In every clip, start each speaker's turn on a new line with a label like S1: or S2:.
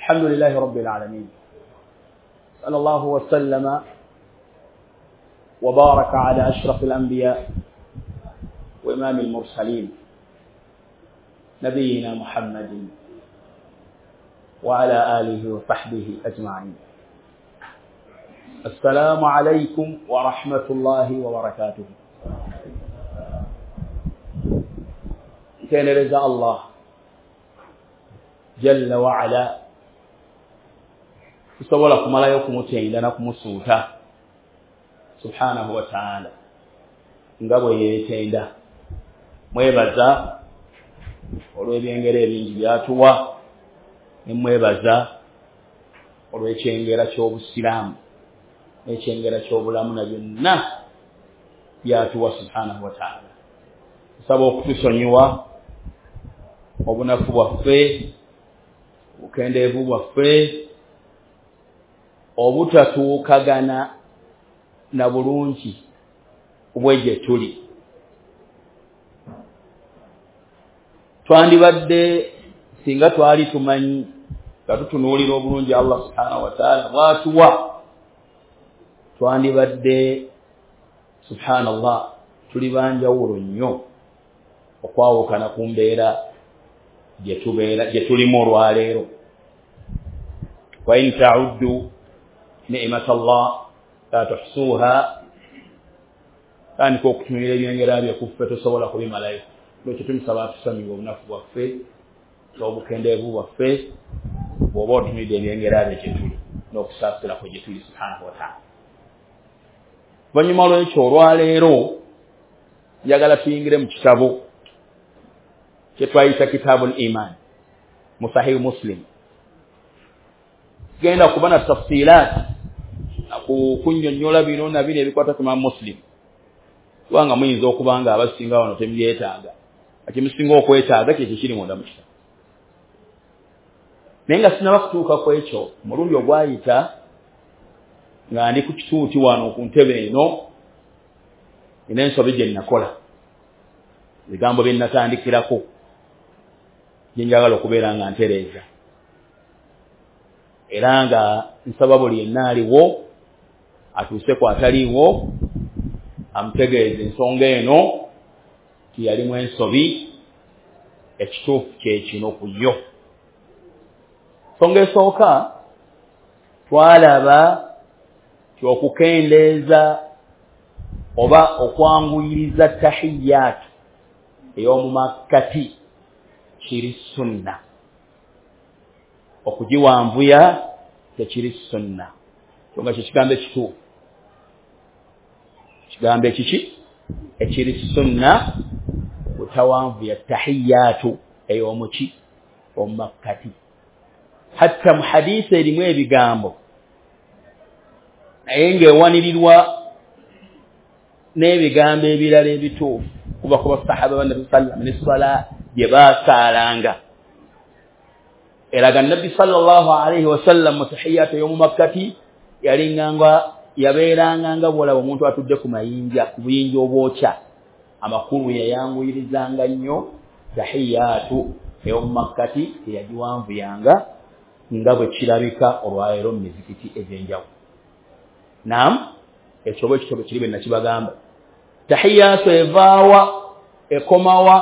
S1: الحمد لله رب العالمين صلى الله وسلم وبارك على أشرف الأنبياء وإمام المرسلين نبينا محمد وعلى آله وصحبه أجمعين. السلام عليكم ورحمة الله وبركاته. Ntendereza Allah Jalla wa'ala, tusobola kumalayo kumutenda na kumusuuta subhanahu wa ta'ala nga bwe yeetenda. Mwebaza olw'ebyengera ebingi byatuwa, ne mwebaza olw'ekyengera ky'obusiraamu n'ekyengera ky'obulamu na byonna byatuwa subhanahu wa ta'ala. Tusaba okutusonyiwa obunafu bwaffe, obukendeevu bwaffe, obutatuukagana na bulungi bwe gye tuli. Twandibadde singa twali tumanyi nga tutunuulira obulungi Allah subhanahu wa ta'ala bw'atuwa, twandibadde subhanallah tuli banjawulo nnyo okwawukana ku mbeera gye tulimu olwaleero. Wa in ta'uddu ni'matallah la tuhsuha, tandika okutunulira ebyengera bye kuffe tosobola kubimalayo. Lwekyo tumusaba atusonyiwe obunafu bwaffe n'obukendeevu bwaffe bw'oba otunulidde ebyengera bye gye tuli n'okusaasira kwe gye tuli subhanahu wa ta'ala. Oluvannyuma lw'ekyo olwaleero njagala tuyingire mu kitabo kye twayita Kitabul Iman mu Sahih Muslim. Genda kuba na tafsilat kunnyonnyola bino na bino ebikwata ku Imam Muslim, kubanga muyinza okuba nga abasinga wano temubyetaaga, ekimusinga okwetaaga kyekyo kiri munda mu kitabo. Naye nga sinnaba kutuuka ku ekyo, omulundi ogwayita nga ndi ku kituuti wano ku ntebe eno, nina ensobi gye nnakola, ebigambo bye nnatandikirako gye njagala okubeera nga ntereeza, era nga nsaba buli yenna aliwo atuuse ku ataliiwo amutegeeze ensonga eno nti yalimu ensobi, ekituufu kye kino ku yo. Ensonga esooka, twalaba nti okukendeeza oba okwanguyiriza tahiyaatu ey'omu makkati kiri sunna, okugiwanvuya tekiri sunna. Kyonga kye kigambo ekituufu, kigambo ekiki ekiri sunna, butawanvuya tahiyaatu ey'omuki omu makkati. Hatta mu hadiisi erimu ebigambo naye ng'ewanirirwa n'ebigambo ebirala ebituufu kuva ku basahaba ba Nabbi sallam ne swala gye baasaalanga, eraga Nabbi sallallahu alaihi wasallam mu tahiyaatu ey'omu makkati yalinganga yabeeranga nga bw'olaba omuntu atudde ku mayinja, ku buyinja obwokya. Amakulu yayanguyirizanga nnyo tahiyaatu ey'omu makkati, teyagiwanvuyanga nga bwe kirabika olwaleero mu mizikiti egy'enjawulo. Naam, ekyo bwe kityo bwe kiri bwe nakibagamba. Tahiyaatu evaawa, ekomawa?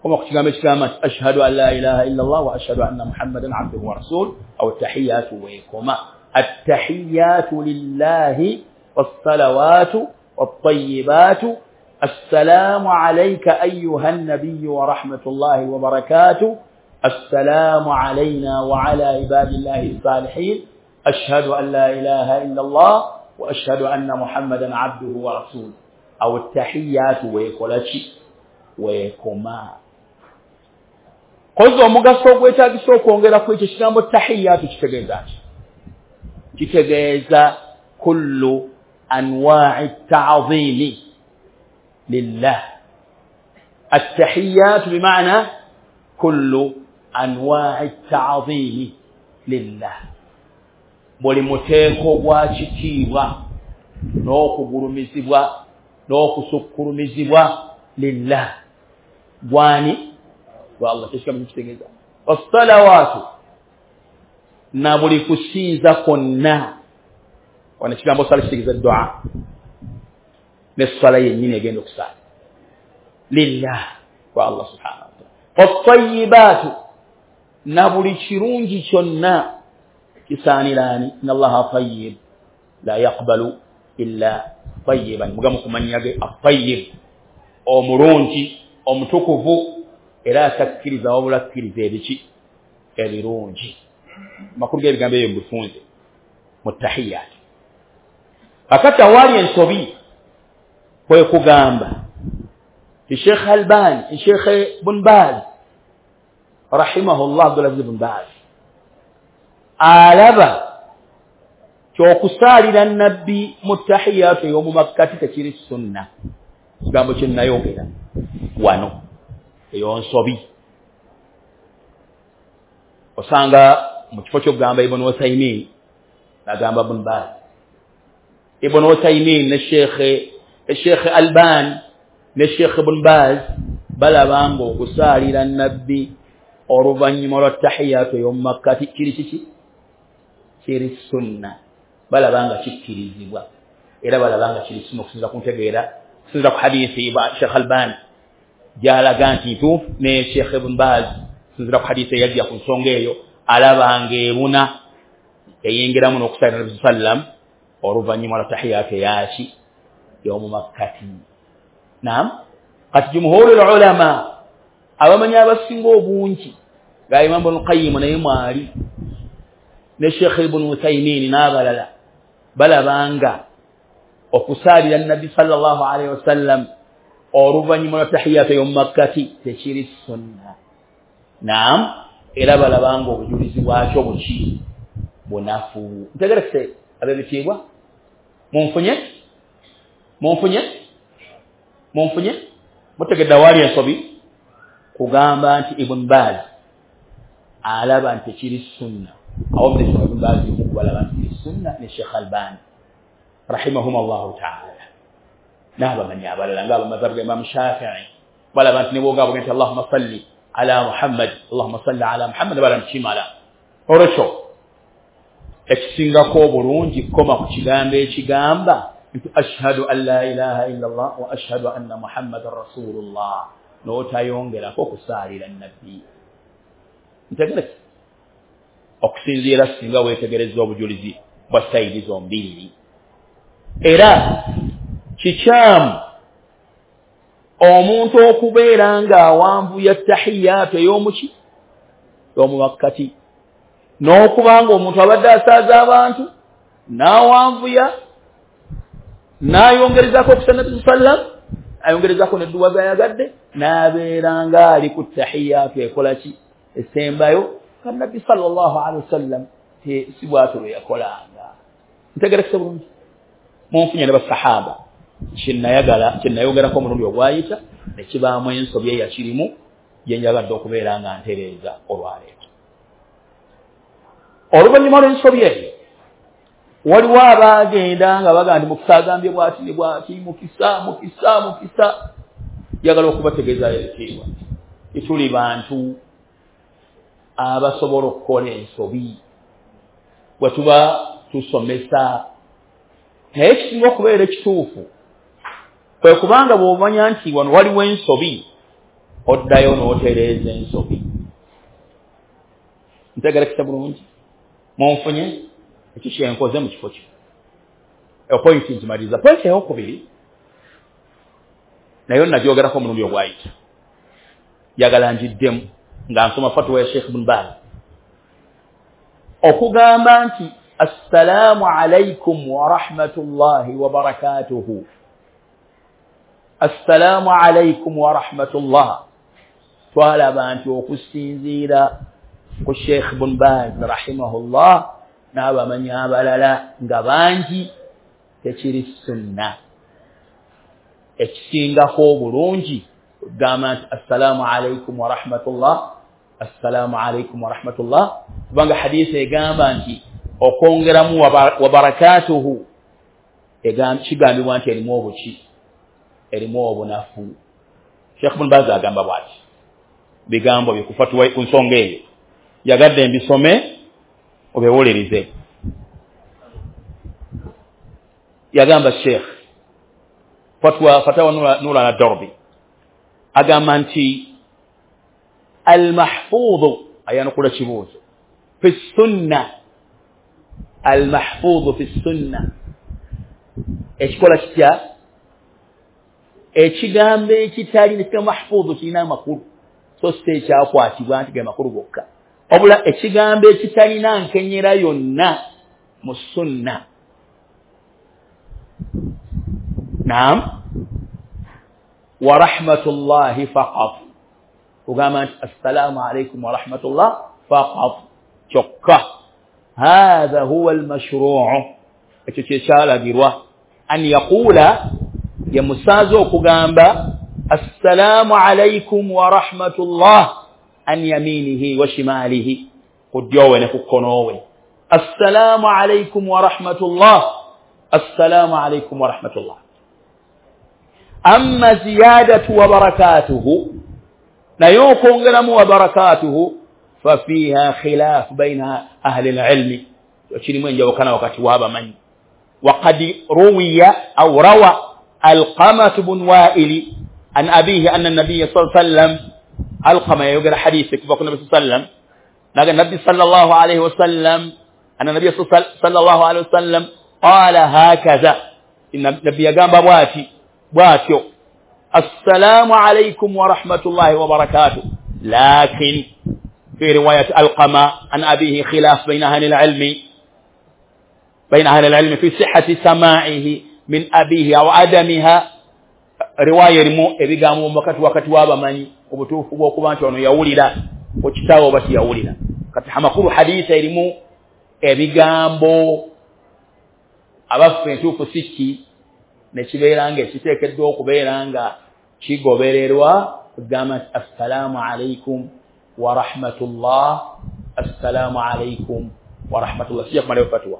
S1: Koma ku kigambo ekigamba nti ashhadu an la ilaha illa Allah wa ashhadu anna Muhammadan abduhu wa rasuluhu, awo tahiyaatu weekoma. Attahiyatu lillahi wassalawatu wattayyibatu assalamu alayka ayyuha an-nabiyyu wa rahmatullahi wa barakatuh, assalamu alayna wa ala ibadillahi as-salihin, ashhadu an la ilaha illa Allah wa ashhadu anna Muhammadan abduhu wa rasuluhu. Awo tahiyatu weekola ki? Weekoma. Kozi omugaso ogwetaagisa okwongera ku ekyo ekigambo tahiyatu kitegeeza ki? Kitegeeza kullu anwa'i ta'zimi lillah. Attahiyatu bimaana kullu anwa'i ta'zimi lillah, buli muteeko gwa kitiibwa n'okugulumizibwa n'okusukkulumizibwa lillah, gwani? Wa Allah. Kyekigambo kitegeeza. Wassalawaatu Na buli kusinza kwonna. Wano ekigambo sala kitegeeza dua, n'essala yennyini egenda okusaala lillah, kwa Allah subhanahu wa ta'ala. Wattayibaatu, na buli kirungi kyonna kisaaniraani. Inna Allaha tayyib la yaqbalu illa tayyiban, mugamu kumanya ge at-tayyib, omulungi omutukuvu, era atakkiriza wabula akkiriza ebiki ebirungi. Amakulu g'ebigambo ebyo mubifunze mu tahiyaat. Akati awaali ensobi kwe kugamba ti Sheikh Albani, Sheikh Ibn Baz rahimahullah, Abdulaziz Ibn Baz alaba kyokusaalira nabbi mu tahiyaatu ey'omu makkati tekiri sunna. Kigambo kye nnayogera wano eyo nsobi. Osanga mu kifo ky'okugamba Ibn Uthaymin agamba Ibn Baz, Ibn Uthaymin ne Sheikh Albani ne Sheikh Ibn Baz balaba nga okusaalira nabbi oluvannyuma lwa tahiyaatu ey'omu makkati kiri kiki? Kiri sunna. Balaba nga kikkirizibwa, era balaba nga kiri sunna okusinziira ku ntegeera, okusinziira ku hadiisi ba Sheikh Albani gy'alaga nti ntuufu, ne Sheikh Ibn Baz okusinziira ku hadiisi eyajja ku nsonga eyo alaba ng'ebuna eyingiramu n'okusaalira Nabbi sallam oluvannyuma lwa tahiyaatu eyaki y'omu makkati. Naam, kati jumhurul ulama, abamanyi abasinga obungi nga Imam Ibn Qayyim naye mwali ne Sheikh Ibn Uthaymin n'abalala, balabanga okusaalira Nabbi sallallahu alaihi wasallam oluvannyuma lwa tahiyaatu y'omu makkati tekiri sunna. Naam, era balabanga obujulizi bwakyo buki? Bunafu. Ntegerekese ab'ebitiibwa, munfunye? Munfunye? Munfunye? Mutegedde awaali ensobi kugamba nti Ibn Baz alaba nti tekiri sunna. Awo ne Ibn Baz balaba nti kiri sunna ne Sheikh Albani rahimahumullahu ta'ala n'abamanyi abalala nga abamazhabu ga Imam Shafi'i balaba nti ne bw'ogamba nti Allahumma salli ala Muhammad, Allahumma salli ala Muhammad, balaba nti kimala. Olwekyo ekisingako obulungi koma ku kigambo ekigamba nti ashhadu an la ilaha illa Allah wa ashhadu anna Muhammadan rasulullah, n'otayongerako okusaalira nabbi. Ntegereke okusinziira singa weetegereza obujulizi bwa sayidi zombiriri. Era kikyamu omuntu okubeera ng'awanvuya tahiyaatu ey'omuki y'omu makkati, n'okuba nga omuntu abadde asaaza abantu n'awanvuya n'ayongerezaako okusa Nabbi sallam, ayongerezaako nedduwa z'ayagadde, n'abeera ng'ali ku tahiyaatu ekola ki esembayo ka Nabbi sallallahu alaihi wasallam si bw'atyo lwe yakolanga. Ntegerekese bulungi, munfunye ne basahaba kyenayagala kyenayogerako omulundi ogwayita ne kibaamu ensobi eyakirimu gye njagadde okubeera nga ntereeza olwaleero. Oluvannyuma lw'ensobi eyo waliwo abaagenda nga bagamba nti Mukisa agambye bw'ati ne bw'ati, Mukisa Mukisa Mukisa. Njagala okubategeeza ebitiibwa tituli bantu abasobola okukola ensobi bwe tuba tusomesa. Naye ekisinga okubeera ekituufu kwe kubanga bw'omanya nti wano waliwo ensobi, oddayo n'otereeza ensobi. Ntegerekese bulungi, munfunye? Ekyo kyenkoze mu kifo kino. Epointi nzimaliriza. Pointi eyokubiri nayo nagyogerako omulundi ogwayita, njagala ngiddemu nga nsoma fatuwa ya Sheikh Ibn Baz okugamba nti assalaamu alaikum wa rahmatullahi wa barakatuhu, assalaamu alaikum wa rahmatullah. Twalaba nti okusinziira ku Sheikh Ibn Baz rahimahullah n'abamanyi abalala nga bangi tekiri sunna. Ekisingako obulungi kugamba nti assalaamu alaikum wa rahmatullah, assalaamu alaikum wa rahmatullah, kubanga hadiisi egamba nti okwongeramu wa barakatuhu kigambibwa nti erimu obuki, erimu obunafu. Sheikh Ibn Baz agamba bw'ati bigambo bye ku fatuwa ku nsonga eyo, yagadde mbisome Obiwulirize. Yagamba Sheikh fatwa fatawa Nura na Darbi, agamba nti almahfudhu, ayanukula kibuuzo, fi sunna, almahfudhu fi sunna, ekikola kitya? Ekigambo ekitali nekika mahfudhu kirina amakulu, so si ekyakwatibwa nti ge makulu gokka, wabula ekigambo ekitalina nkenyera yonna mu sunna. Naam, wa rahmatullahi faqat, kugamba nti assalamu alaikum wa rahmatullah faqat kyokka. Hadha huwa almashruu, ekyo kyekyalagirwa. An yaqula, ye musaazi okugamba assalamu alaikum wa rahmatullah an yaminihi wa shimalihi, ku ddyowe ne ku kkonowe. Assalamu alaikum wa rahmatullah, assalamu alaikum wa rahmatullah. Amma ziyadatu wa barakatuhu, naye okwongeramu wa barakatuhu, fafiha khilaf baina ahli alilmi, kirimu enjawukana wakati w'abamanyi. Waqad ruwiya aw rawa Alqamah bun Wa'il an abihi anna an-nabiy sallallahu alayhi wasallam, Alqama yayogera hadithi kuva ku Nabi sallallahu alayhi wasallam, naga Nabi sallallahu alayhi wasallam, anna Nabiy sallallahu alayhi wasallam qala hakaza, Nabi yagamba bwati bwatyo, assalamu alaykum wa rahmatullahi wa barakatuh. Lakin fi riwayat Alqama an abihi khilaf bayna ahli al-ilmi, bayna ahli al-ilmi fi sihhati sama'ihi min abihi aw adamiha. Riwaya erimu ebigambo wakati w'abamanyi obutuufu bw'okuba nti ono yawulira ku kitaawe oba tiyawulira. Kati amakulu hadisa erimu ebigambo abaffe entuufu si ki, nekibeera nga ekiteekeddwa okubeera nga kigobererwa, kugamba nti assalamu alaikum wa rahmatullah, assalamu alaikum wa rahmatullah. Sijja kumalayo fatuwa.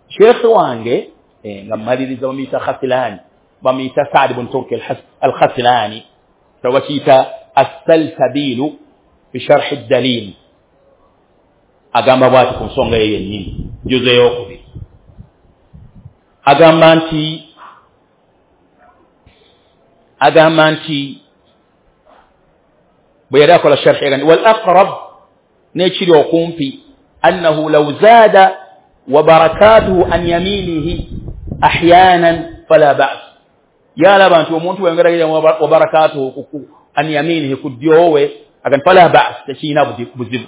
S1: Sheikh wange nga mmaliriza, bamuyita Khasilani, bamuyita Saad bun Turki al-Khasilani, bakiyita assalsabilu fi sharhi ddalil, agamba bwati ku nsonga eyo yennyini, juzo ey'okubiri, agamba nti bwe yali akola sharhi agamba wal aqrab, n'ekiri okumpi, annahu law zaada wa barakatuhu an yaminihi ahyanan fala ba's, yalaba nti omuntu weyongera wa barakatuhu an yaminihi ku ddyowe, agamba fala ba's, tekirina buzibu.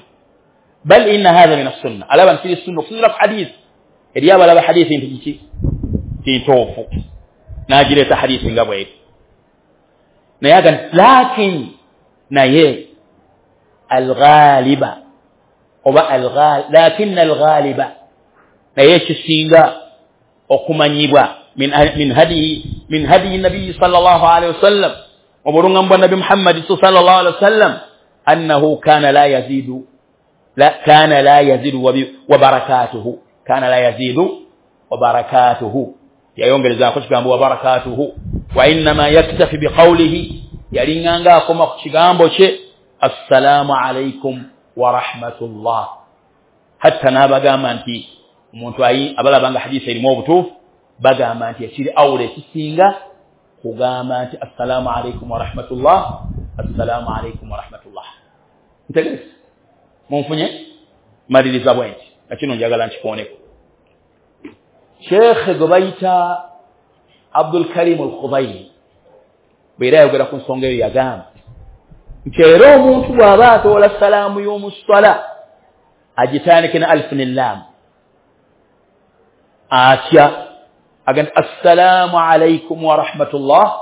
S1: Bal inna hadha min as-sunnah, alaba nti kiri sunna okusinziira ku hadithi eri abalaba hadithi nti kiki kintuufu, n'agireeta hadithi nga bw'eri. Naye agamba lakin, naye alghaliba oba lakinna alghaliba, naye ekisinga okumanyibwa min hadiyi nabiyi sallallahu alayhi wasallam, obulungamu bwa Nabi Muhammad sallallahu alayhi wasallam, annahu kana la yazidu, kana la yazidu wa barakatuhu, kana la yazidu wa barakatuhu, yayongerezaako kigambo wa barakatuhu. Wa innama yaktafi biqawlihi, yalinganga akoma ku kigambo kye assalamu alaikum wa rahmatullah. Hatta n'abagamba nti omuntu abalaba nga hadisi erimu obutuufu, bagamba nti ekiri awula ekisinga kugamba nti assalamu alaikum wa rahmatullah, assalamu alaikum wa rahmatullah. Ntegereza munfunye maliriza bwe nti na kino njagala nkikooneko. Sheikh gwe bayita Abdul Karim al-Khudairi bwe yali ayogera ku nsonga eyo yagamba nti era omuntu bw'aba atoola salaamu y'omu swala agitandike ne alif ne lam, atya agamba assalamu alaikum wa rahmatullah,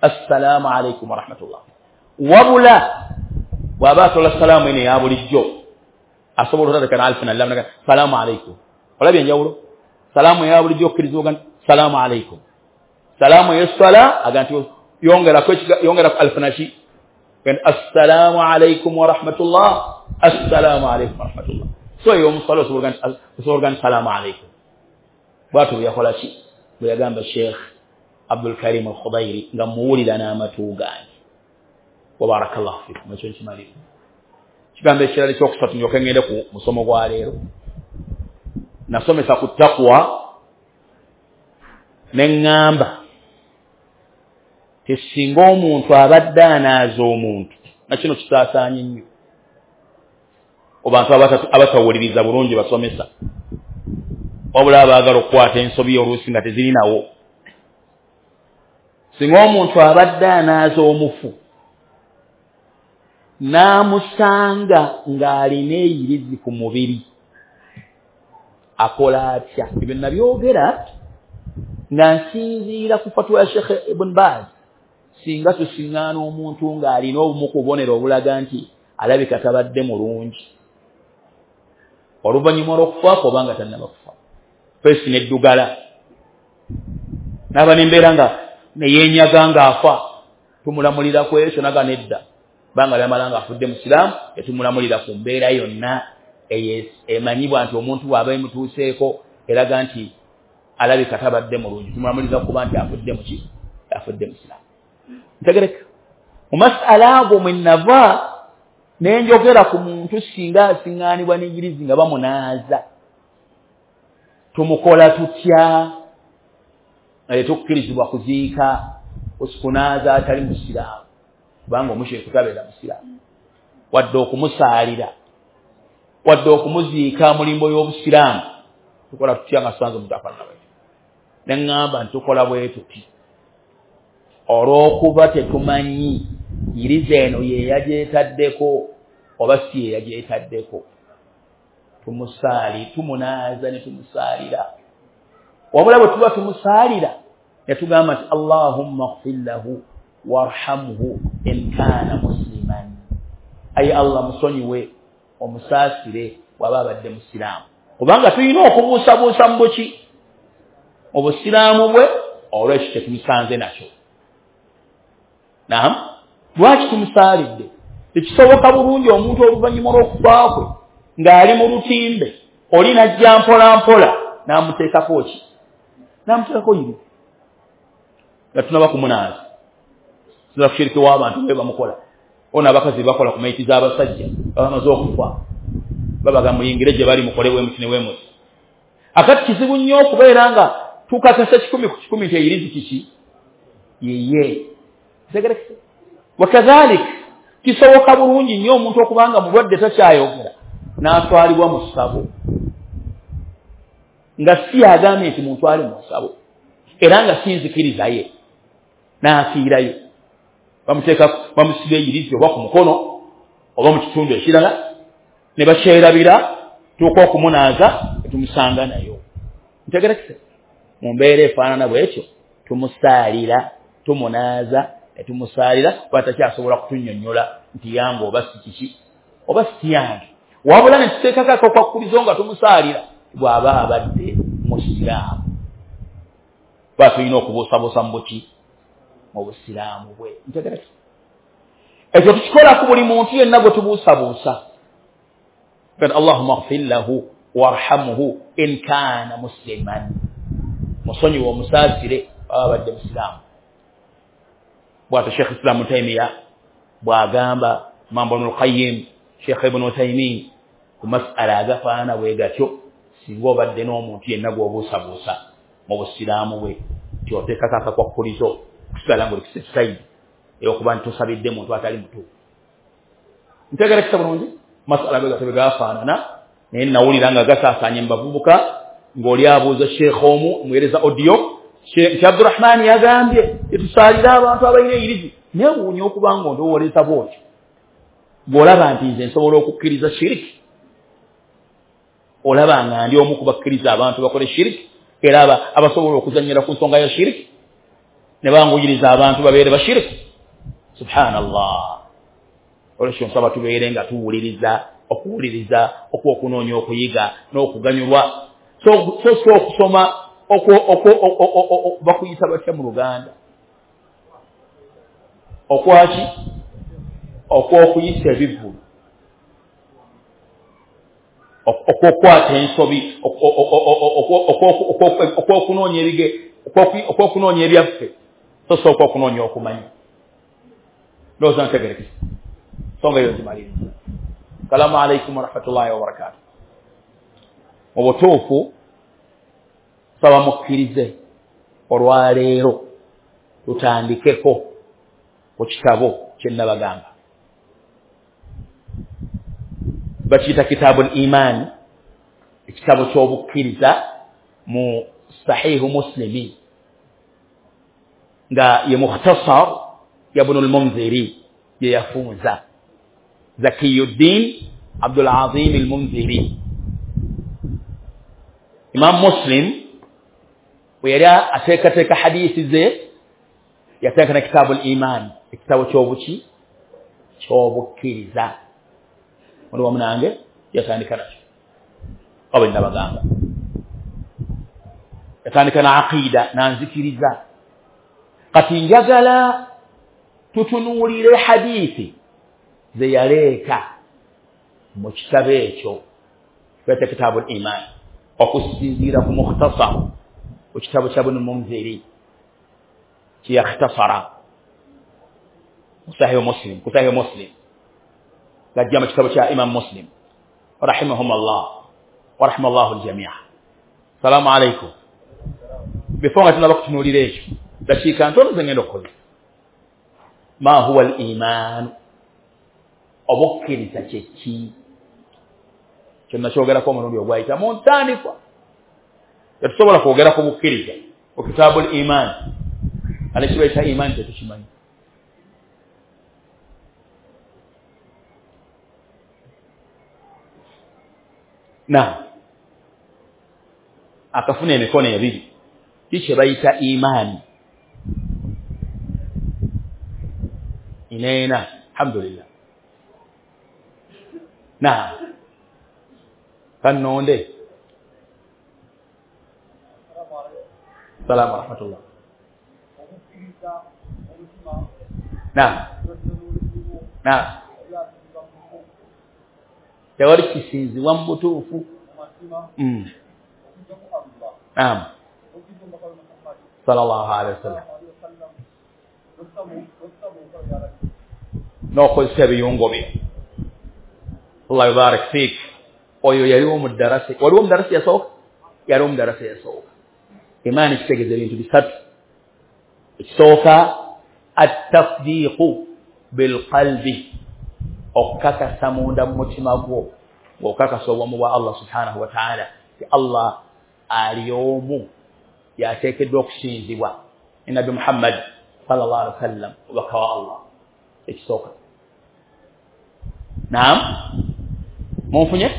S1: assalamu alaikum wa rahmatullah. Wabula bw'aba atoola salaamu eno eya bulijjo asobola otandika ne alif ne lam, salaamu alaikum. Olabye enjawulo? Salaamu eya bulijjo okkirizibwa ogamba salaamu alaikum, salaamu ey'esswala agamba nti yongerako alif naki, assalamu alaikum wa rahmatullah, assalamu alaikum wa rahmatullah. So ey'omuswala osobola ogamba salaamu alaikum. Bwatyo bwe yakola ki, bwe yagamba Sheikh Abdul Karim al-Khudairi nga muwulira n'amatu gange. Wa barakallahu fikum. Ekyo nkimaliriza. Kigambo ekirala ekyokusatu ndyoke ngende ku musomo gwa leero. Nasomesa ku taqwa neŋŋamba tesinga omuntu abadde anaaza omuntu, nakino kisaasaanye nnyo obantu abatawuliriza bulungi basomesa, wabula abaagala okukwata ensobi oluusi nga tezirinawo. Singa omuntu abadde anaaza omufu n'amusanga ng'alina eyirizi ku mubiri, akola atya? Ebyo nabyogera nga nsinziira ku fatwa ya Sheikh Ibn Baz. Singa tusiŋŋaana omuntu ng'alina obumu ku bubonero obulaga nti alabika tabadde mulungi oluvannyuma lw'okufaako oba nga tannaba kufa, feesi n'eddugala n'aba n'embeera nga neyeenyaga ng'afa, tumulamulira ku ekyo naga nedda, banga lyamala ng'afudde musiraamu, tetumulamulira ku mbeera yonna emanyibwa nti omuntu bw'aba emutuuseeko eraga nti alabika tabadde mulungi, tumulamulira kuba nti afudde muki, afudde musiraamu. Ntegereka mu masala ago mwe nava nenjogera ku muntu singa asiŋŋaanibwa n'enjirizi nga bamunaaza, tumukola tutya? Nga tetukkirizibwa kuziika okunaaza atali musiraamu, kubanga omushiriku tabeera musiraamu, wadde okumusaalira, wadde okumuziika mu limbo y'obusiraamu. Tukola tutya nga tusanze omuntu afaanana bwetyo? Neŋŋamba nti tukola bwe tuti olw'okuba tetumanyi yiriza eno ye yagyetaddeko oba si ye yagyetaddeko, tumunaaza ne tumusaalira. Wabula bwe tuba tumusaalira ne tugamba nti Allahumma ighfir lahu warhamhu in kana musliman, ayi Allah musonyiwe omusaasire bw'aba abadde musiraamu, kubanga tulina okubuusabuusa mu buki, mu busiraamu bwe, olw'ekyo tetumusanze nakyo. Naam, lwaki tumusaalidde? Tekisoboka bulungi omuntu oluvannyuma lw'okufa kwe ng'ali mu lutimbe, oli n'ajja mpola mpola n'amuteekako ki? N'amuteekako yiri nga tunaba kumunaaza. Sinza kushiriki w'abantu bwe bamukola. Ono abakazi bakola ku mayiti z'abasajja baba bamaze okufa, babaga muyingire gye bali mukole bwe muti ne bwe muti. Akati kizibu nnyo okubeera nga tukakasa 100 ku 100 nti eyirizi kiki yeye. Wakadhalik kisoboka bulungi nnyo omuntu okubanga mulwadde takyayogera n'atwalibwa mu ssabo, nga si agambye nti muntwale mu ssabo, era nga si nzikiriza ye, n'afiirayo. Bamuteeka, bamusiba eyirizi oba ku mukono oba mu kitundu ekirala, ne bakyerabira, tuuka okumunaaza tumusanga nayo. Ntegerekese mu mbeera efaanana bwetyo, tumusaalira, tumunaaza ne tumusaalira, kuba takyasobola kutunnyonnyola nti yange oba si kiki oba si yange. Wabula ne tuteekako akakwakkulizo nga tumusaalira bw'aba abadde musiraamu, kuba tulina okubuusabuusa mu buki, mu busiraamu bwe. Ntegerekese ekyo tukikola ku buli muntu yenna gwe tubuusabuusa. Allahumma ighfir lahu warhamhu in kana musliman, musonyiwe omusaasire bw'aba abadde musiraamu. Bw'atyo Sheikh Islam Taymiya bw'agamba Imam Ibn al-Qayyim, Sheikh Ibn Uthaymeen ku masala agafaanana bwe gatyo, singa obadde n'omuntu yenna gw'obuusabuusa mu busiraamu bwe, nti oteekako akakwakkulizo kusigala ng'oli ku safe side ey'okuba nti tosabidde muntu atali mutuufu. Ntegerekesa bulungi masala bwe gatyo bwe gafaanana, naye nawulira nga gasaasaanye mu bavubuka ng'oli abuuza sheikh omu muweereza audio, nti Abdurahman yagambye tetusaalira abantu abalina eyirizi. Neewuunya okuba nga ondowooleza bw'otyo bw'olaba nti nze nsobola okukkiriza shiriki, olaba nga ndi omu ku bakkiriza abantu bakole shiriki, era abasobola okuzannyira ku nsonga ya shiriki ne banguyiriza abantu babeere bashiriki. Subhanallah. Olwekyo nsaba tubeere nga tuwuliriza, okuwuliriza okw'okunoonya okuyiga n'okuganyulwa, so si okusoma bakuyita batya mu Luganda, okwaki, okw'okuyisa ebivvulu, okw'okukwata ensobi, okw'okunoonya ebige, okw'okunoonya ebyaffe, so si okw'okunoonya okumanya. Ndowooza ntegerekese nsonga eyo nzimaliriza. Assalamu alaikum warahmatullahi wabarakatuh. Mu butuufu Saba mukkirize olwaleero tutandikeko ku kitabo kye nnabagamba. Bakiyita Kitaabul Imaani, ekitabo ky'obukkiriza mu Sahihu Muslimi, nga ye Mukhtasar ya Ibn al-Munziri ye yafunza Zakiyuddin Abdul Azim al-Munziri. Imam Muslim bwe yali ateekateeka hadiisi ze yateeka ne Kitaabul Imaani, ekitabo ky'obuki ky'obukkiriza. Oli wamu nange? Yatandika nakyo oba nnabagamba, yatandika na aqida nanzikiriza. Kati njagala tutunuulire hadiisi ze yaleeta mu kitabo ekyo kweta Kitaabul Imaani, okusinziira ku mukhtasar ku kitabo kya Ibn Munziri kyeyakhtasara Sahih Muslim, ku Sahih Muslim gajja mu kitabo kya Imam Muslim rahimahumullah wa rahimallahu aljamia. Salaamu alaikum. Before nga tunaba kutunuulira ekyo, dakiika ntono ze ngenda okukozesa. Ma huwa al iman, obukkiriza kye ki? Kyonna kyogerako omulundi ogwayita mu ntandikwa. Tetusobola kwogera ku bukkiriza ku Kitaabul Imaani, ate kibaita imaani tetukimanyi. Na akafuna emikono ebiri, ki kye bayita imaani? Ineena, alhamdulillah. Na kannonde. Salamu warahmatullah. Na na tewali kisinzibwa mu butuufu. Naam, sallallahu alaihi wasallam. N'okozesa ebiyungo bye. Allah yubarik fik. Oyo yaliwo mu ddarasa, waliwo mu ddarasa yasooka, yaliwo mu ddarasa yasooka. Imaani kitegeeza ebintu bisatu. Ekisooka, at-tasdiiqu bilqalbi, okukakasa munda mu mutima gwo, ng'okakasa obwomu bwa Allah subhanahu wa ta'ala, ti Allah ali omu yateekeddwa okusinzibwa, ne Nabbi Muhammad sallallahu alaihi wasallam omubaka wa Allah. Ekisooka. Naam, munfunye?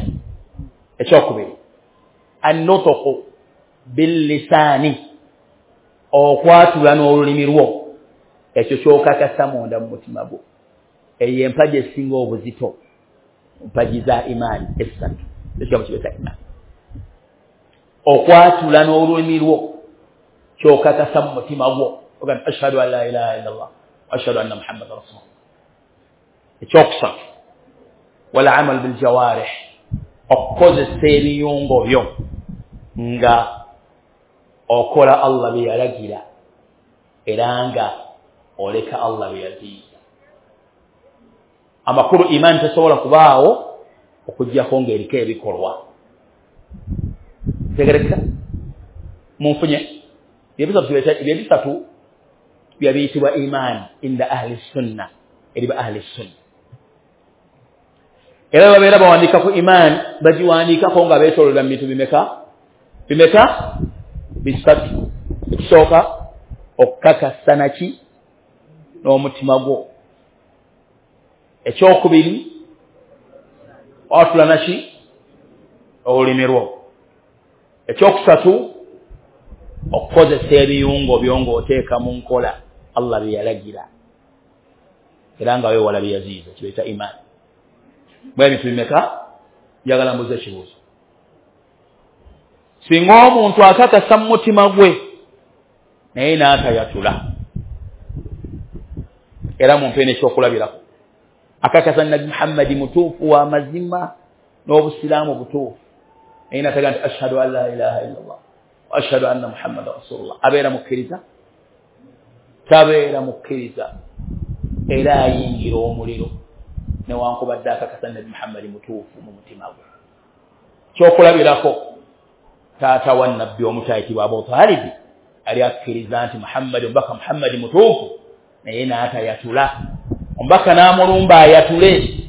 S1: Ekyokubiri, annutuqu billisaani, okwatula n'olulimi lwo, ekyo kyokakasa munda mu mutima gwo. Eyo empagi esinga obuzito mpagi za imaani esatu, ekigambo kibeeta imaani. Okwatula n'olulimi lwo kyokakasa mu mutima gwo, ogamba ashhadu an la ilaha illa Allah wa ashhadu anna Muhammadan rasulullah. Ekyokusatu, wal amal bil jawarih, okukozesa ebiyungo byo nga okola Allah bye yalagira era nga oleka Allah bye yaziyiza. Amakulu imaani tesobola kubaawo okuggyako ng'eriko ebikolwa. Tegereka? Munfunye? Ebisatu byabiyitibwa imaani inda ahli sunna, eri ba ahli sunna. Era babeera bawandiika ku imaani, bagiwandiikako nga beetooloola mu bintu bimeka? Bimeka? Bisatu. Ekisooka, okukakasa naki n'omutima gwo. Ekyokubiri, watula naki olulimi lwo. Ekyokusatu, okukozesa ebiyungo byo ng'oteeka mu nkola Allah bye yalagira era nga weewala bye yaziyiza, kibayita imaani. Bwe ebintu bimeka? Njagala mbuuze ekibuuzo. Singa omuntu akakasa mu mutima gwe naye n'atayatula, era mumpe n'ekyokulabirako, akakasa Nabbi Muhammadi mutuufu wa mazima n'obusiraamu butuufu, naye n'ataga nti ashhadu an la ilaha illa Allah wa ashhadu anna Muhammadan rasulullah, abeera mukkiriza? Tabeera mukkiriza, era ayingira omuliro newankubadde akakasa Nabbi Muhammadi mutuufu mu mutima gwe. Kyokulabirako, Taata wa nabbi omuto ayitibwa Abu Talibi ali akkiriza nti Muhammadi, omubaka Muhammadi mutuufu, naye n'atayatula. Omubaka n'amulumba ayatule,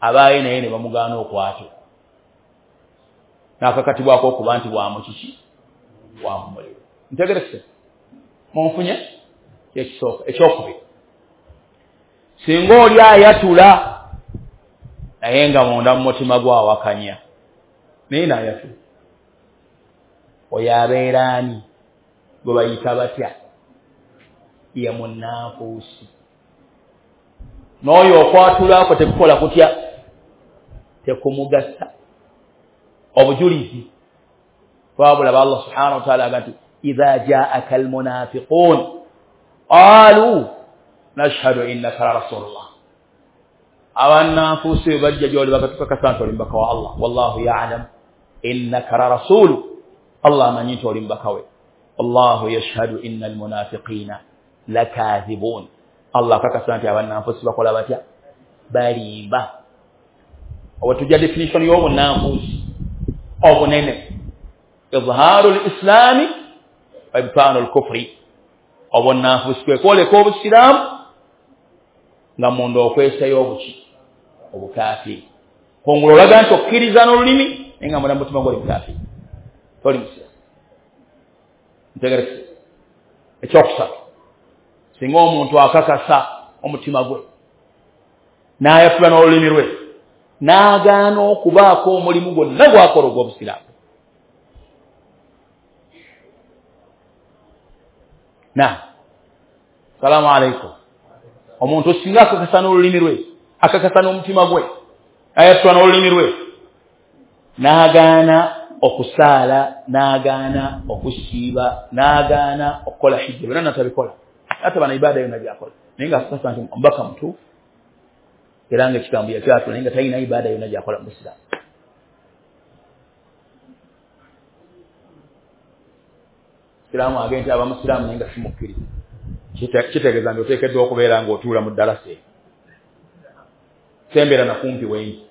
S1: abaaye naye ne bamugaana okwatula, n'akakatibwako okuba nti wamukiki wamumuliro. Ntegerekese munfunye ekisooka. Ekyokubiri, singa oli ayatula naye nga munda mu mutima gwawakanya, naye n'ayatula, oyo abeera ani? Gwe bayita batya? Ye munnanfuusi. N'oyo okwatulako tekukola kutya? Tekumugasa. Obujulizi twabulaba Allah subhanahu wa ta'ala aga nti idha jaaka almunafiqun qalu nashhadu innaka la rasulullah. Abannanfuusi bwe bajja gy'oli bakatukakasa nti oli mubaka wa Allah, wallahu ya'lam innaka la rasulu, Allah amanyi nti oli mubaka we, wallahu yashhadu inna almunafiqina lakathibun. Allah akakasa nti abannanfuusi bakola batya? Balimba. Oba tujja definition y'obunnanfuusi obunene, izhaaru lislami wa ibtaanu lkufri. Obunnanfuusi kwe kwoleka obusiraamu nga munda okwesayo obuki? Obukaafiri. Kongolo olaga nti okkiriza n'olulimi naye nga munda mutima gwoli mukaafiri, toli musiraamu. Ntegerekese. Ekyokusatu, singa omuntu akakasa omutima gwe n'ayatula n'olulimi lwe n'agaana okubaako omulimu gwonna gwakola ogw'obusiraamu, na salaamu aleikum. Omuntu singa akakasa n'olulimi lwe, akakasa n'omutima gwe, ayatula n'olulimi lwe, n'agaana okusaala, n'agaana okusiiba, n'agaana okukola hijja, byonna natabikola, ataba na ibaada yonna gy'akola, naye nga akakasa nti omubaka mutuufu era nga ekigambo yakyatula, naye nga talina ibaada yonna gy'akola mu busiraamu. Siraamu agenda aba musiraamu naye nga simukkiriza, kitegeeza nti oteekeddwa okubeera ng'otuula mu ddalasa eyo, sembeera na kumpi wengi.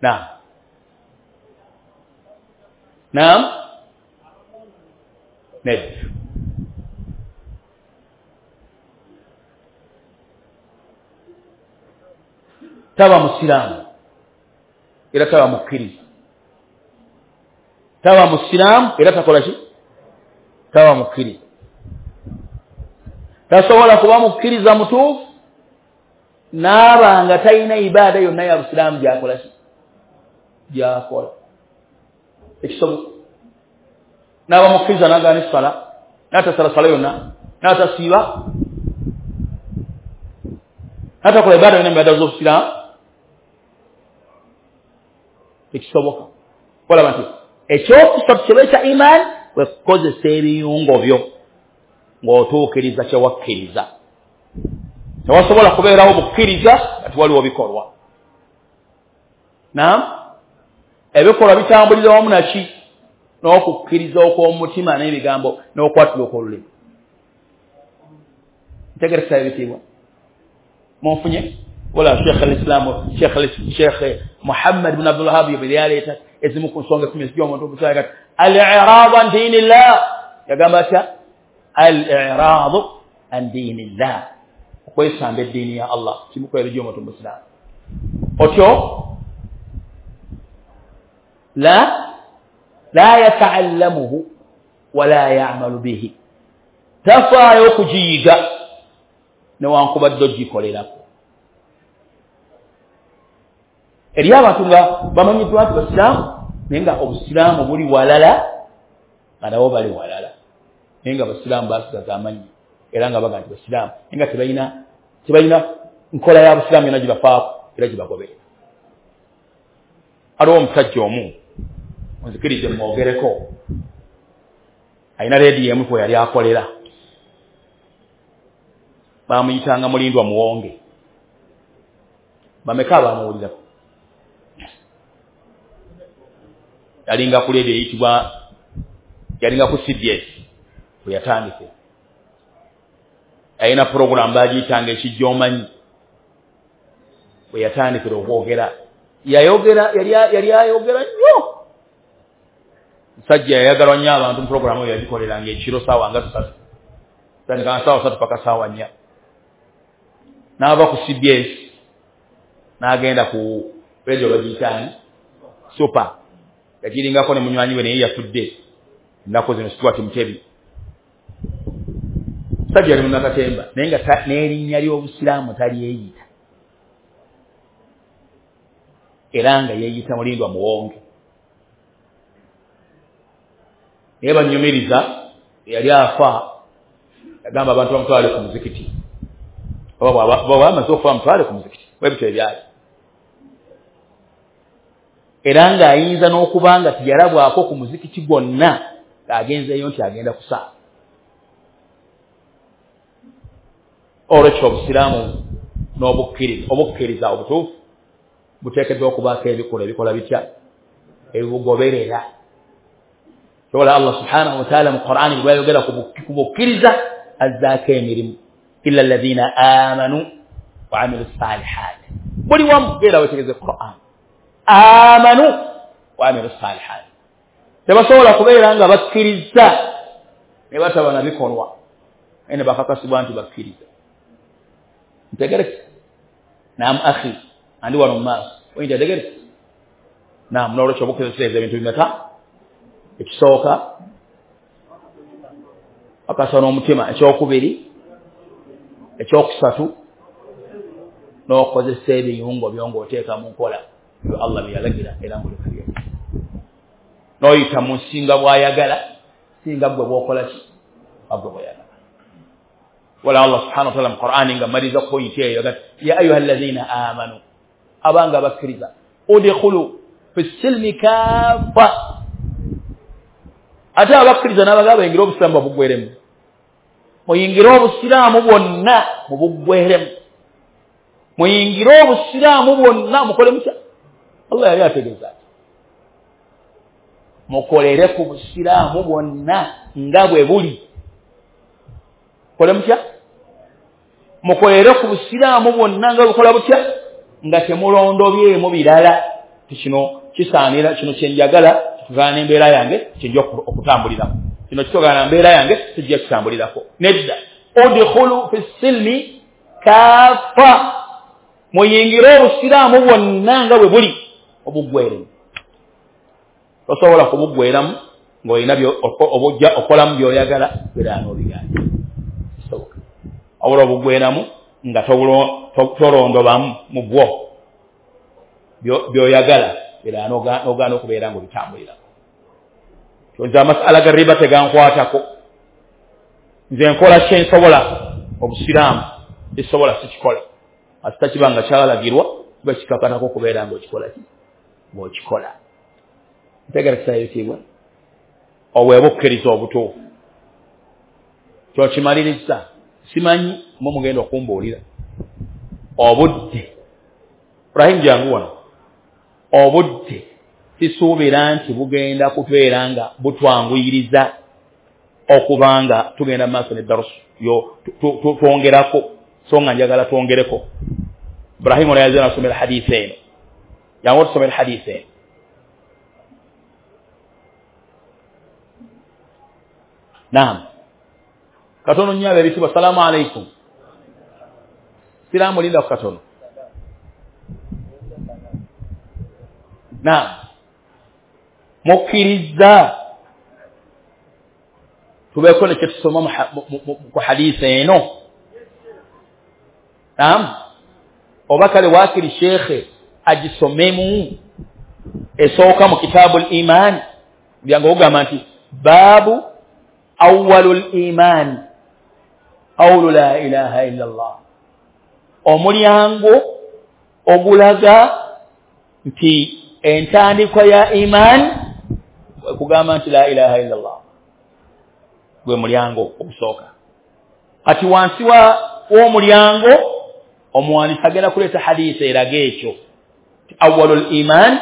S1: Naam, naam, nedda. Taba musiraamu era taba mukkiriza. Taba musiraamu era takola ki? Taba mukkiriza. Tasobola kuba mukkiriza mutuufu n'aba nga talina ibaada yonna ya busiraamu gy'akola ki? Gy'akola. Ekisoboka n'aba mukkiriza n'agaana essala, n'atasala sala yonna, n'atasiiba, n'atakola ibaada yonna mu ibaada z'obusiraamu, tekisoboka. Olaba nti ekyokusatu kye bayita imaani kwe kukozesa ebiyungo byo ng'otuukiriza kye wakkiriza. Tewasobola kubeerawo bukkiriza nga tewaliwo bikolwa. Naam, ebikolwa bitambulira wamu naki? N'okukkiriza okw'omutima n'ebigambo n'okwatula okw'olulimi. Ntegeresa ebitiibwa munfunye? Wala Sheikh al-Islam Sheikh Muhammad ibn Abdul Wahhab yaleeta ezimu ku nsonga 10 ez'omuntu obusiraamu kati al-i'raad an diinillah. Yagamba atya? Al-i'raad an diinillah, okwesamba eddiini ya Allah kimu ku ebyo gy'omuntu omusiraamu. Otyo la yata'allamuhu wala ya'malu bihi, tafaayo okugiyiga newankubadde ogikolerako. Eri abantu nga bamanyiddwa nti basiraamu naye nga obusiraamu buli walala nga nabo bali walala, naye nga basiraamu basigaza amannya era nga baga nti basiraamu, naye nga tebalina nkola ya busiraamu yonna gibafaako era gibagoberera. Aliwo omusajja omu onzikirize mwogereko, alina leediyo emu kwe yali akolera, bamuyitanga Mulindwa Muwonge. Bameka abamuwulirako? Yalinga ku leediyo eyitibwa, yalinga ku CBS bwe yatandikira. Alina puroguramu bagiyitanga Ekijja Omanyi, bwe yatandikira okwogera Yayogera yali ayogera nnyo. Musajja yayagalwa nnyo abantu mu puroguramu eyo yagikoleranga ekiro ssaawa nga 3. Tandika ssaawa 3 paka ssaawa 4. N'ava ku CBS n'agenda ku radio bagiyitaani Super. Yagiringako ne munywanyi we naye yafudde ennaku zino Stuart Mutebi. Musajja yali munnakatemba naye nga n'erinnya ly'obusiraamu talyeyita. Era nga yeeyita Mulindwa Muwonge. Naye banyumiriza yali afa yagamba abantu bamutwale ku muzikiti. Oba bamaze okufa bamutwale ku muzikiti. Bwe bityo ebyali. Era ng'ayinza n'okuba nga teyalabwako ku muzikiti gwonna ng'agenzeeyo nti agenda kusaala. Olwekyo obusiraamu n'obukkiriza obukkiriza obutuufu buteekeddwa okubaako ebikolwa ebikola bitya ebibugoberera. Kyobola Allah subhanahu wa ta'ala mu Qur'ani bw'ayogera ku bukkiriza azzaako emirimu illa alladhina amanu wa amilu salihat. Buli wamu genda wetegereze Qur'an. Amanu wa amilu salihat. Tebasobola kubeera nga bakkiriza ne bataba na bikolwa ene bakakasibwa nti bakkiriza. Ntegereke? Naam akhi andi wano mu maaso oyinza ntegereke? Naam, n'olwekyo obukkiriza kitegeeza ebintu bimeka? Ekisooka akasa n'omutima, ekyokubiri, ekyokusatu n'okozesa ebiyungo byo ng'oteeka mu nkola ebyo Allah bye yalagira era ng'oleka bye. N'oyita mu nsinga bw'ayagala singa ggwe bw'okola ki gwe bw'oyagala. Wala Allah subhanahu wa ta'ala mu Qur'ani nga maliza pointi eyo agati ya ayuha alladhina amanu, abanga bakkiriza, udkhulu fi silmi kaffa. Ate abakkiriza n'abagaba bayingire obusiraamu babuggweremu. Muyingire obusiraamu bwonna mubuggweremu. Muyingire obusiraamu bwonna mukole mutya? Allah yali ategeeza ati mukolere ku busiraamu bwonna nga bwe buli. Mukole mutya? Mukolere ku busiraamu bwonna nga bukola butya? Nga temulondobyemu birala. Kino kisaanira, kino kye njagala kitugana embeera yange kyenja okutambulirako, kino kitugana embeera yange kijja kitambulirako. Nedda, udkhulu fi silmi kaffa, muyingire obusiraamu bwonna nga bwe buli obuggweremu. Tosobola kubuggweramu ng'olina obujja okolamu by'oyagala era n'obigaana. Kisoboka. Wabula obuggweramu nga tolondobamu mu bwo by'oyagala era n'ogaana okubeera ng'obitambulirako. Nze amasala ga riba tegankwatako. Nze nkola kye nsobola obusiraamu, ekisobola sikikola. Ate kiba nga kyalagirwa kiba kikakatako okubeera ng'okikola ki? Ng'okikola. Ntegeera ebitiibwa. Obwe bukkiriza obutuufu. Kyokimaliriza simanyi mwe mugenda okumbuulira. Obudde. Ibrahim jangu wano. Obudde sisuubira nti bugenda kubeera nga butwanguyiriza okubanga tugenda mu maaso ne darusu yo twongerako, so nga njagala twongereko. Ibrahim ono yazze n'asomera hadiisi eno. Jangu otusomere hadiisi eno. Naam. Katono nnyo ab'ebitiibwa, salaamu aleikum. Siraamu linda ku katono. Naam. Mukkiriza tubeeko ne kye tusoma ku hadiisi eno. Naam. Oba kale waakiri sheekhe agisomemu esooka mu kitaabu al-iman, byange ogamba nti baabu awwalul iman qawlu la ilaha illa Allah, omulyango ogulaga nti entandikwa ya iman kugamba nti la ilaha illa Allah gwe mulyango ogusooka. Kati wansi w'omulyango omuwandiisi agenda kuleeta hadiisi eraga ekyo awwalul iman,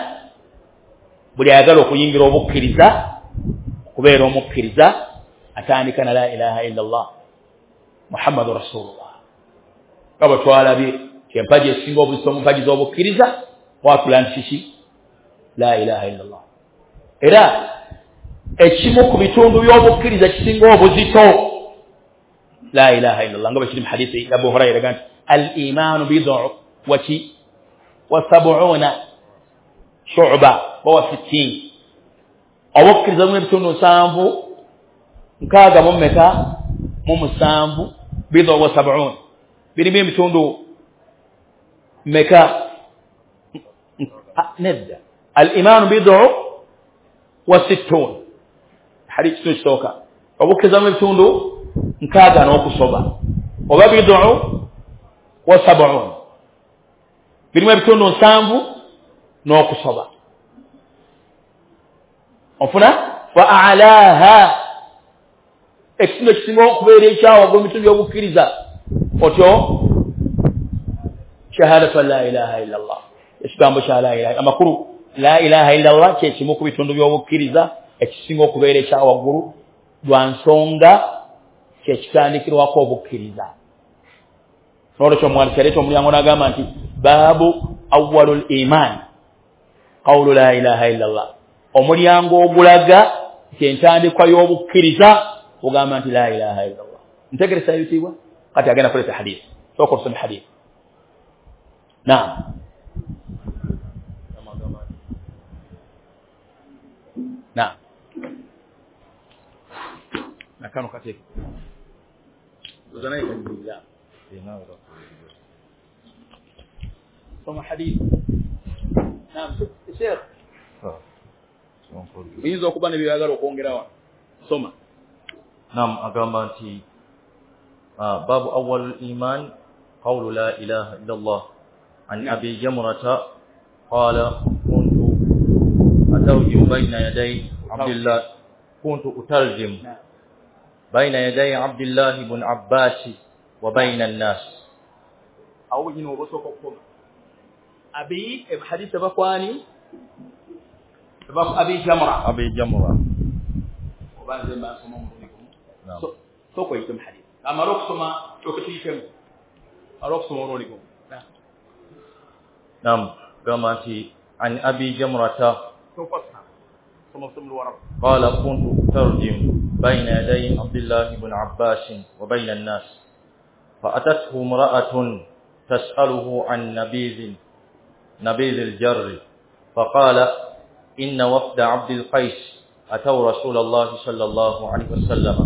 S1: buli ayagala okuyingira obukkiriza okubeera omukkiriza atandika na la ilaha illa Allah Muhammadu Rasulullah. Nga bwe twalabye empagi esinga obuzito mu mpagi z'obukkiriza Kwatula nti kiki? La ilaha illallah. Era ekimu ku bitundu by'obukkiriza kisinga obuzito la ilaha illallah, nga bwe kiri mu hadithi ya Abu Huraira nti al-imaanu bid'u waki wa sab'una shu'ba wa sittin. Obukkiriza mu ebitundu 7 nkaaga mu mmeka mu 7, bid'u wa sab'un, birimu ebitundu mmeka? Nedda, al-imaanu bid'u wa sittun, hadithi kisooka. Obukkiriza mu ebitundu 60 n'okusoba, oba bid'u wa sab'un, birimu ebitundu 7 n'okusoba. Onfuna? Fa a'laha, ekitundu ekisinga okubeera ekyawaggulu mu bitundu by'obukkiriza otyo shahadatu an la ilaha illallah, ekigambo kya la ilaha. Amakulu la ilaha illallah kye kimu ku bitundu by'obukkiriza ekisinga okubeera ekyawaggulu lwa nsonga kyekitandikirwako obukkiriza. N'olwekyo omuwandiisi yaleeta omulyango n'agamba nti baabu awwalul iman qawlu la ilaha illallah, omulyango ogulaga nti entandikwa y'obukkiriza ogamba nti la ilaha illallah. Ntegeresa ebitiibwa. Kati agenda kuleeta hadithi, sooka otusome hadithi. Naam. Naam. Nakano kateeka soma hadithi. Naam, Sheikh, oyinza okuba ne by'oyagala okwongera wano, soma.
S2: Naam, agamba nti babu awwalul iman qawlu la ilaha illallah an Abi Jamrata qala kuntu atarjim bayna yaday Abdullah kuntu utarjim bayna yaday Abdullah ibn Abbas wa bayna an-nas.
S1: Awo nyino obosooka okukoma abi hadith bakwani Abi Jamra,
S2: Abi Jamra
S1: obanze mbasoma omulundi gumu. Sooka oyitemu hadith, amala okusoma okutuyitemu, amala okusoma omulundi gumu.
S2: Naam, gamba nti an Abi Jamrata qala kuntu utarjim bayna yaday Abdullah ibn Abbas wa bayna an-nas fa atathu imra'atun tas'aluhu an nabiz al-jarr faqala inna wafda Abd al-Qais ataw Rasulullah sallallahu alayhi wasallam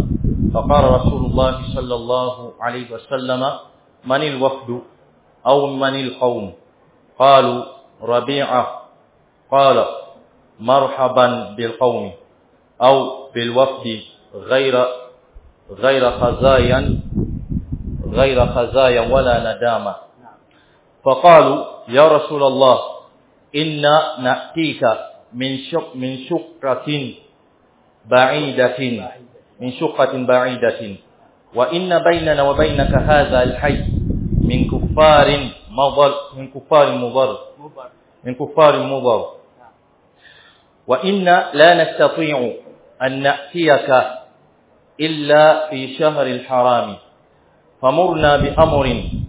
S2: faqala Rasulullah sallallahu alayhi wasallam man al-wafdu aw man al-qawm qalu Rabi'a qala marhaban bil qawmi aw bil wafdi ghayra khazayan wala nadama faqalu ya Rasulullah inna na'tika min shuqqatin ba'idatin wa inna baynana wa baynaka hadha al-hayy min kuffarin mudhar wa inna la nastati'u an na'tiyaka illa fi shahri al-haram famurna bi amrin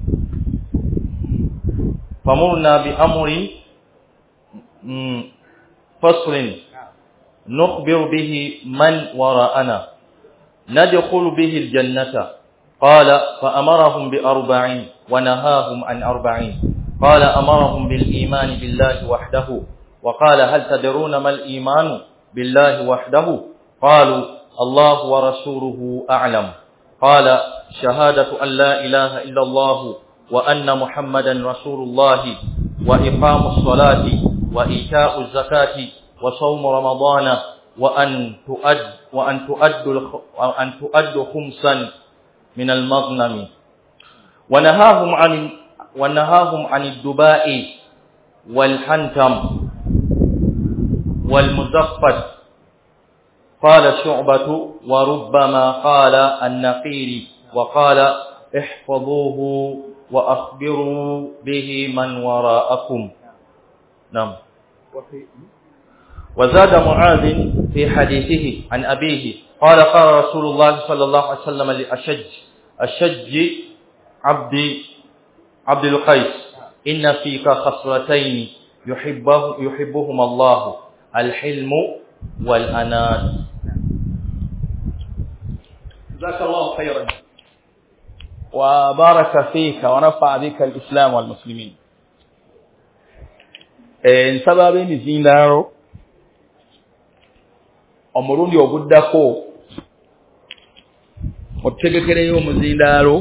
S2: فصل نخبر به من وراءنا ندخل به الجنة قال فأمرهم بأربع ونهاهم عن 40. قال أمرهم بالإيمان بالله وحده وقال هل تدرون ما الإيمان بالله وحده قالوا الله ورسوله أعلم قال شهادة أن لا إله إلا الله وأن محمدا رسول الله وإقام الصلاة وإيتاء الزكاة وصوم رمضان وأن تؤد خمسا من المغنم ونهاهم عن الدباء والحنتم والمزفت. قال شعبة وربما قال النقير وقال احفظوه وأخبروا به من وراءكم. نعم. وزاد معاذ في حديثه عن أبيه قال قال رسول الله صلى الله عليه وسلم لأشج عبد القيس إن فيك خصلتين يحبهما الله: الحلم والأناة.
S1: جزاك الله خيرا وبارك فيك ونفع بك الإسلام والمسلمين. Nsaba ab'emizindaalo omulundi oguddako otutegekereyo omuzindaalo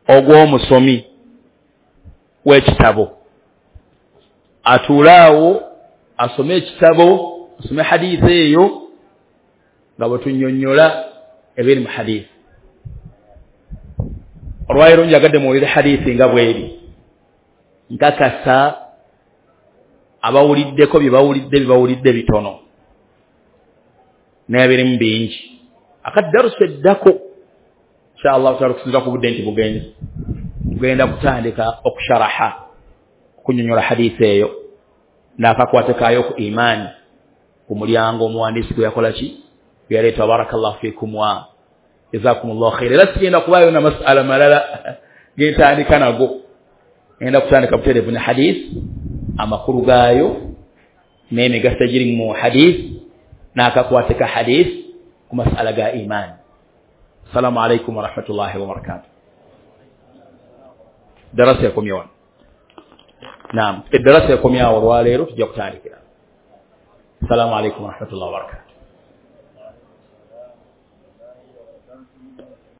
S1: ogw'omusomi w'ekitabo, atuule awo asome ekitabo, asome hadithi eyo nga bwe tunnyonnyola ebiri mu hadithi. Olwaleero njagadde muwulire hadithi nga bw'eri. Nkakasa abawuliddeko bye bawulidde bitono, naye birimu bingi. Akaddarusa eddako inshallah taala okusinziira ku budde nti bugenzi, tugenda kutandika okusharaha, okunyonyola hadithi eyo n'akakwate kaayo ku imaani, ku mulyango omuwandiisi gwe yakola ki, gwe yaleeta. Barakallahu fiikum wa jazakumullahu khaira. Era sigenda kubaayo na masala malala gentandika nago, ngenda kutandika butereevu ne hadith, amakulu gaayo n'emigaso egiri mu hadith n'akakwate ka hadith ku masala ga imaani. Assalamu alaikum warahmatullahi wabarakatuh. Darasa yakomye wano. Naam, edarasa yakomye awo olwaleero, tujja kutandikira. Assalamu alaikum warahmatullahi wabarakatuh.